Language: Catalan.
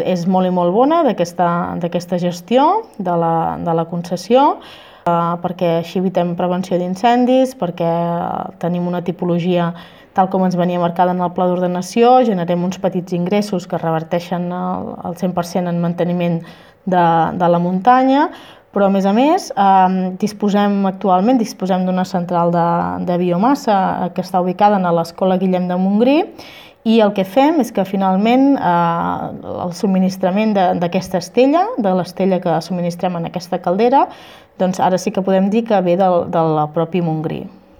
És molt i molt bona d'aquesta gestió de la concessió, perquè així evitem prevenció d'incendis, perquè tenim una tipologia tal com ens venia marcada en el pla d'ordenació, generem uns petits ingressos que reverteixen el 100% en manteniment de la muntanya, però a més, actualment disposem d'una central de biomassa que està ubicada a l'Escola Guillem de Montgrí, i el que fem és que finalment el subministrament d'aquesta estella, de l'estella que subministrem en aquesta caldera, doncs ara sí que podem dir que ve del propi Montgrí.